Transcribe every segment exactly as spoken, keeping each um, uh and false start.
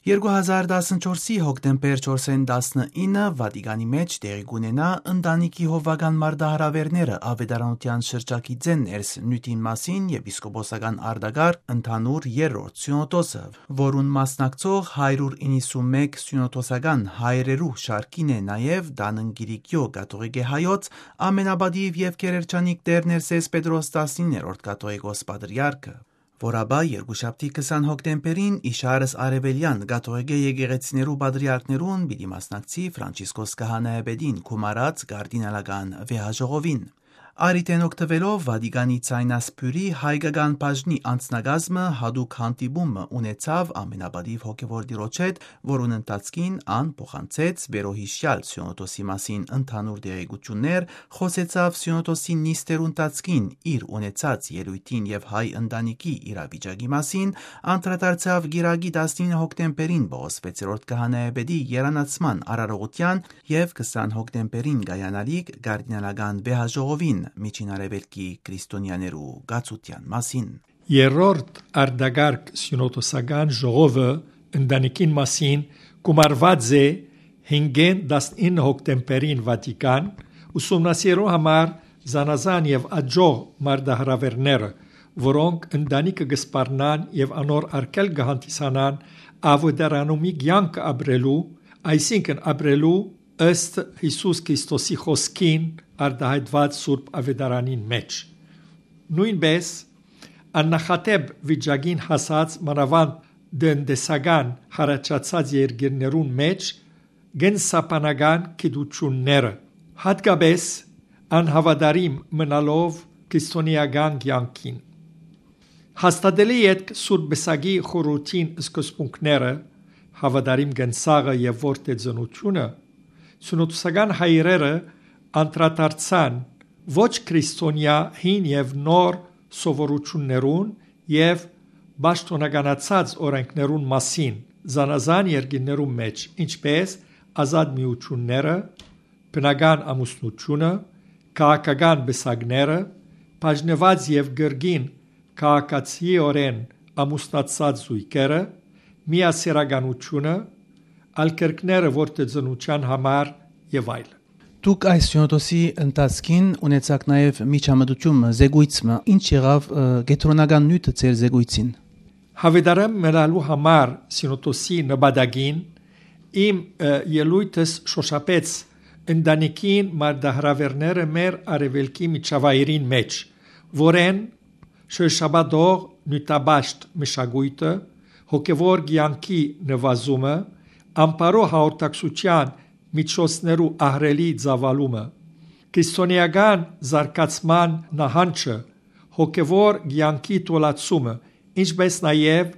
Երկու հազար տասնչորսի հոկտեմբեր չորսին տասնինը Վատիկանի մէջ տեղի կ'ունենայ ընտանիքի հովուական մարտահրաւէրները աւետարանութեան շրջագիծէն ներս նիւթին մասին եպիսկոպոսական արտակարգ ընդհանուր երրորդ սիւնոդոսը, որուն մասնակցող հարիւր իննսունմէկ սիւնոդոսական հայրերու շարքին է նաեւ Դաննկիրիկիո կաթողիկէ հայոց ամենապատիւ եւ գերերջանիկ Տէր Ներսէս Պետրոս տասիններորդ կաթողիկոս պատրիարքը, որ ապա երկուշաբթի քսան հոկտեմբերին իշարս արեւելեան կաթողիկէ եկեղեցիներու պատրիարքներուն պիտի մասնակցի Ֆրանցիսկոս Քահանայապետին գումարած կարդինալական վեհաժողովին։ Առիթէն օգտուելով Վատիկանի ցայնասփիւռի հայկական բաժնի անձնակազմը յատուկ հանդիպումը ունեցաւ ամենապատիւ հոգեւոր տիրոջ հետ, որուն ընթացքին ան փոխանցեց վերոյիշեալ սիոնոդոսի մասին ընդհանուր տեղեկութիւններ, խօսեցաւ սիոնոդոսի նիստերու ընթացքին իր ունեցած ելոյթին եւ հայ ընտանիքի իրավիճակի մասին, անդրադարձաւ կիրակի տասնինը հոկտեմբերին Պողոս վեցերորդ քահանայապետի երանացման արարողութեան եւ քսան հոկտեմբերին կայանալիք կարդինալական վեհաժողովին Միջին Արեւելքի քրիստոնեաներու կացութեան մասին։ Երրորդ արտակարգ սիոնոդոսական ժողովը ընտանիքին մասին գումարուած է հինգէն տասնինը հոկտեմբերին Վատիկան, ուսումնասիրելու համար զանազան եւ աջող մարտահրաւէրները, որոնք ընտանիքը կը սպառնան եւ անոր արգելք կը հանդիսանան աւետարանումի կեանքը ապրելու, այսինքն՝ ապրելու ըստ Յիսուս Քրիստոսի խօսքին արտայայտուած Սուրբ Աւետարանին մէջ։ Նոյնպէս աննախադէպ վիճակին հասած, մանաւանդ տնտեսական յառաջացած երկիրներուն մէջ կենսաբանական գիտութիւնները, յատկապէս անհաւատարիմ մնալով քրիստոնէական կեանքին։ Հաստատելէ ետք Սուրբ Պսակի խորհրդին սկզբունքները, հաւատարիմ կենսաղը եւ որդեծնութիւնը, սիոնոդոսական հայրերը անդրադարձան ոչ քրիստոնեայ հին եւ նոր սովորութիւններուն եւ պաշտօնականացած օրէնքներուն մասին զանազան երկիրներու մէջ, ինչպէս ազատ միութիւնները, բնական ամուսնութիւնը, քաղաքական պսակները, բաժնուած եւ կրկին քաղաքացիորեն ամուսնացած զոյգերը, միասեռականութիւնը, ալքերկները որդեծնութեան համար եւ այլն։ Դուք այս սիոնոդոսի ընթացքին ունեցաք նաեւ միջամտութիւն մը, զեկոյց մը, ինչ եղաւ, ը, կեդրոնական նիւթը ձեր զեկոյցին։ Հաւետարան մնալու համար սիոնոդոսի նպատակին իմ, ը, ելոյթս շօշափեց ընտանիքին մարտահրաւէրները մեր արեւելքի միջավայրին մէջ, որեն շրջապատող նիւթապաշտ մշակոյթը, հոգեւոր կեանքի նուազումը, ամբարոյ հաղորդակցութեան միջոցներու ահռելի ծաւալումը, քրիստոնէական զարգացման նահանջը, հոգեւոր կեանքի թուլացումը, ինչպէս նաեւ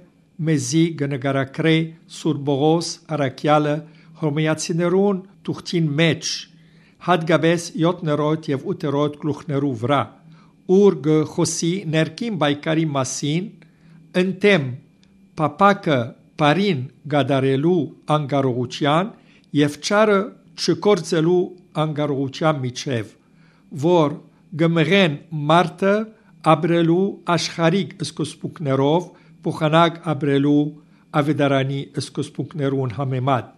մեզի կը նկարագրէ Սուրբ Պողոս առաքեալը Հռոմէացիներուն թուղթին մէջ, յատկապէս յոթերորդ եւ ութերորդ գլուխներու վրայ, ուր կը խօսի ներքին պայքարի մասին, ընդդէմ փափաքը բարին կատարելու անկարողութեան եւ չարը չգործելու անկարողութեան միջեւ, որ կը մղեն մարդը ապրելու աշխարհիկ սկզբունքներով փոխանակ ապրելու աւետարանի սկզբունքներուն համեմատ,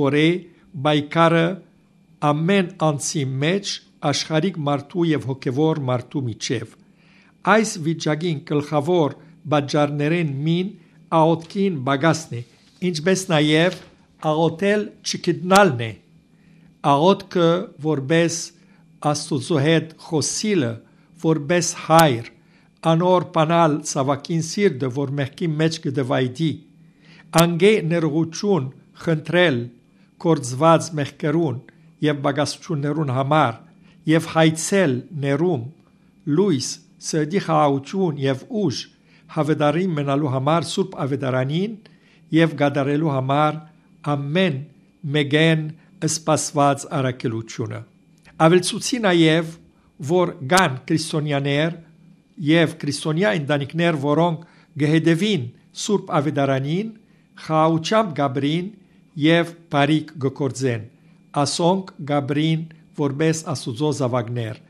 որ է պայքարը ամեն անձի մէջ աշխարհիկ մարդու եւ հոգեւոր մարդու միջեւ։ Այս վիճակին գլխաւոր պատճառներէն մին աղօթքին պակասն է, ինչպէս նաեւ աղօթել չգտնալն է։ Աղօթքը որպէս Աստուծոյ հետ խօսիլը, որպէս հայր, անոր բանալ ցաւագին սիրտը, որ մեղքի մէջ կը դվայտի, անկէ ներողութիւն խնդրել գործուած մեղքերուն եւ պակասութիւններուն համար եւ հայցել ներում, լոյս, սրտի խաղաղութիւն եւ ուժ, հաւատարիմ մնալու համար Սուրբ Աւետարանին եւ կատարելու համար ամեն մէկէն սպասուած առաքելութիւնը։ Աւելցուցի նաեւ, որ կան քրիստոնեաներ եւ քրիստոնեայ ընտանիքներ, որոնք կը հետեւին Սուրբ Աւետարանին, խաղաղութեամբ կ'ապրին եւ բարիք կը գործեն։ Ասոնք կ'ապրին որպէս Աստուծոյ զաւակներ,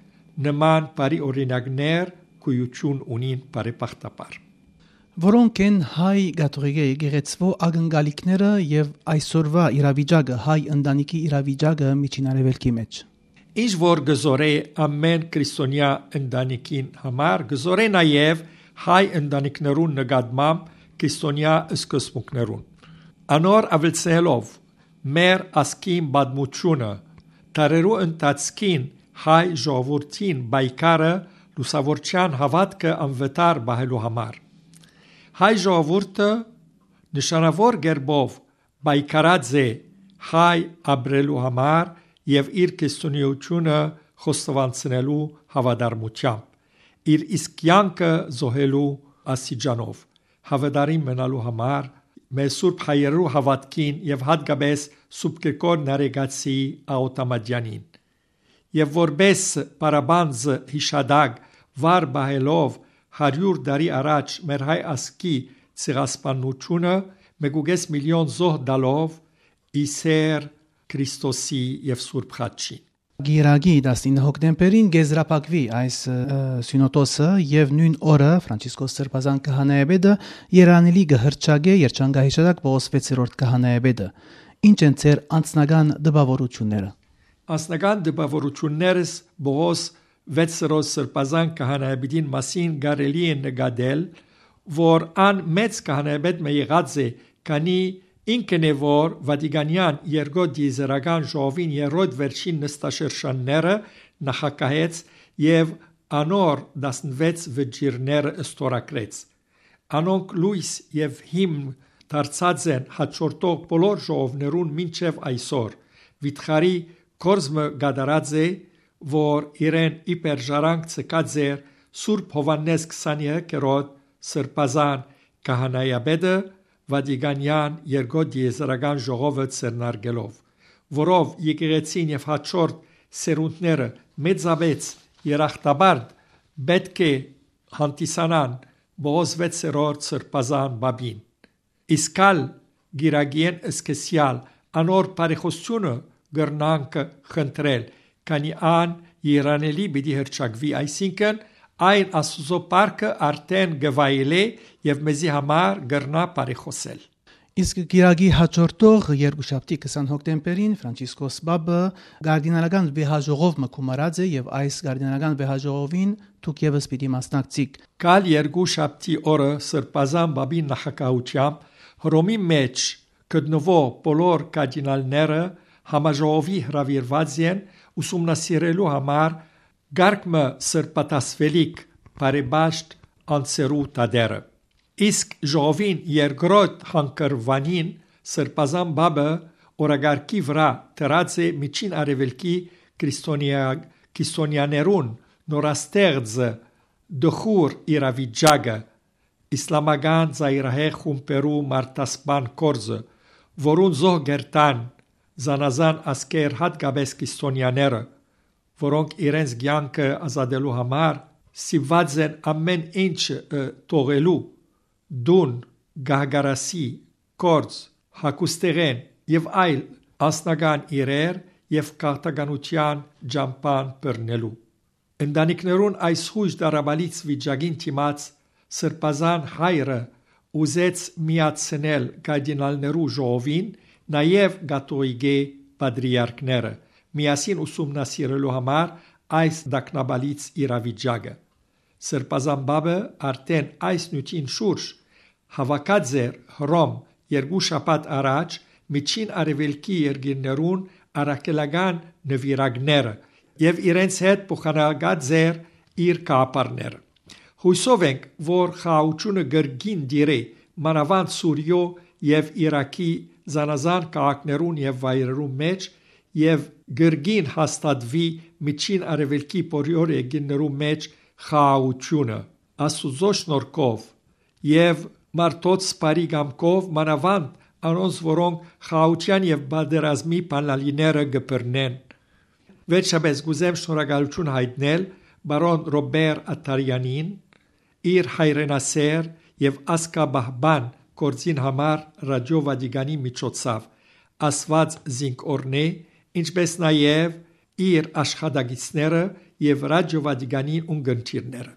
նման բարի օրինակներ գոյութիւն ունին բարեբախտաբար։ որոնք են հայ կաթողիկէ եկեղեցւոյ ակնկալիքները եւ այսօրուա իրավիճակը, հայ ընտանիքի իրավիճակը Միջին Արեւելքի մէջ։ Ինչ որ կը զօրէ ամէն քրիստոնեայ ընտանիքին համար, կը զօրէ նաեւ հայ ընտանիքներուն նկատմամբ քրիստոնեայ սկզբունքներուն։ Անոր աւելցնելով մեր ազգին պատմութիւնը, դարերու ընթացքին հայ ժողովուրդին պայքարը լուսաւորչեան հաւատքը անվտար պահելու համար։ Հայ ժողովուրդը նշանաւոր կերպով պայքարած է հայ ապրելու համար եւ իր քրիստոնեայութիւնը խոստովանցնելու հաւատարմութեամբ, իր իսկ կեանքը զոհելու աստիճանով, հաւատարիմ մնալու համար մեր սուրբ հայերու հաւատքին եւ յատկապես սուրբ Գրիգոր Նարեկացի Աւտամատեանին։ Եւ որպէս պարապանձ յիշատակ վառ պահելով հարիւր տարի առաջ մեր հայ ազգի ցեղասպանութիւնը, մէկուկէս միլիոն զոհ տալով ի սէր Քրիստոսի եւ Սուրբ Խաչին։ Կիրակի տասնինը հոկտեմբերին կեզրափակուի այս, ը, սիւնոդոսը եւ նոյն օրը Ֆրանցիսկոս Սրբազան քահանայապետը երանելի կը հռչակէ երջանկահիշատակ Պողոս վեցերորդ քահանայապետը։ Ինչ են ձեր անձնական տպաւորութիւնները։ Անձնական տպաւորութիւններս Պողոս վեցերորդ Սրբազան քահանայապետին մասին կարելի է նկատել, որ ան մեծ քահանայապետ մը եղած է, քանի ինքն է, որ Վատիկանեան երկրորդ դիեզերական ժողովին երրորդ վերջին նստաշրջանները նախագահեց եւ անոր տասնվեց վճիռները ստորագրեց։ Անոնք լոյս եւ հիմն դարձած են հաջորդող բոլոր ժողովներուն մինչեւ այսօր։ Վիթխարի գործ մը կատարած է, որ իրեն իբր ժառանգ ձգած էր Սուրբ Յովհաննէս քսանեքերորդ Սրբազան քահանայապետը Վատիկանեան երկրորդ դիեզերական ժողովը ձեռնարկելով, որով եկեղեցին եւ հաջորդ սերունդները մեծապէծ երախտապարտ պէտք է հանդիսանան Պողոս վեցերորդ Սրբազան պապին։ Իսկ ալ կիրակիէն սկսեալ անոր բարեխոսութիւնը կրնանք խնդրել, քանի ան երանելի պիտի հռչակուի, այսինքն՝ այն Աստուծոյ պարքը արդէն կը վայելէ եւ մեզի համար կրնայ բարեխոսել։ Իսկ կիրակի հաջորդող երկուշաբթի քսան հոկտեմբերին Ֆրանցիսկոս Պապը կարդինալական վեհաժողով մը գումարած է եւ այս կարդինալական վեհաժողովին դուք եւս պիտի մասնակցիք։ Կալ երկուշաբթի օրը Սրբազան Պապի նախագահութեամբ Հռոմի մէջ գտնուող բոլոր կարդինալները համաժողովի հրաւիրուած են ուսումնասիրելու համար կարգ մը սրբատասվելիք բարեպաշտ անձերու դատերը։ Իսկ ժողովին երկրորդ հանգրուանին Սրբազան Պապը օրակարգի վրայ դրած է Միջին Արեւելքի քրիստոնեա-, քրիստոնեաներուն նորաստեղծը, դխուր իրավիճակը, իսլամական ծայրահեղ խումբերու մարդասպան գործը, որուն զոհ կերտան զանազան ազգեր, յատկապես քրիստոնեաները, որոնք իրենց կեանքը ազատելու համար սիված են ամէն ինչ, ը, թողելու, տուն, գահկարասի, գործ, հագուստեղէն եւ այլ անձնական իրեր եւ քաղաքականութեան ճամբան բռնելու։ Ընտանիքներուն այս յոյժ տառապալից վիճակին դիմաց Սրբազան հայրը ուզեց միացնել կարդինալներու ժողովին նաեւ կաթողիկէ պատրիարքները, միասին ուսումնասիրելու համար այս տագնապալից իրավիճակը։ Սրբազան Պապը արդէն այս նիւթին շուրջ հաւաքած էր Հռոմ երկու շաբաթ առաջ Միջին Արեւելքի երկիրներուն առաքելական նուիրակները եւ իրենց հետ փոխանակած էր իր գաղափարները։ Յուսով ենք, որ խաղաղութիւնը կրկին տիրէ մանաւանդ Սուրիոյ եւ Իրաքի զանազան քաղաքներուն եւ վայրերուն մէջ եւ կրկին հաստատուի Միջին Արեւելքի բոլոր երկիրներու մէջ խաղաղութիւնը, Աստուծոյ շնորհքով եւ մարդոց բարի կամքով, մանաւանդ անոնց, որոնք խաղաղութեան եւ պատերազմի բանալիները կը բռնեն։ Վերջապէս կ'ուզեմ շնորհակալութիւն յայտնել պարոն Ռոբեր Աթարեանին, իր հայրենասէր եւ ազգապահպան գործին համար Ռադիօ Վատիկանի միջոցով ասուած զինք օրհնէ, ինչպէս նաեւ իր աշխատակիցները եւ Ռադիօ Վատիկանի ունկնդիրները։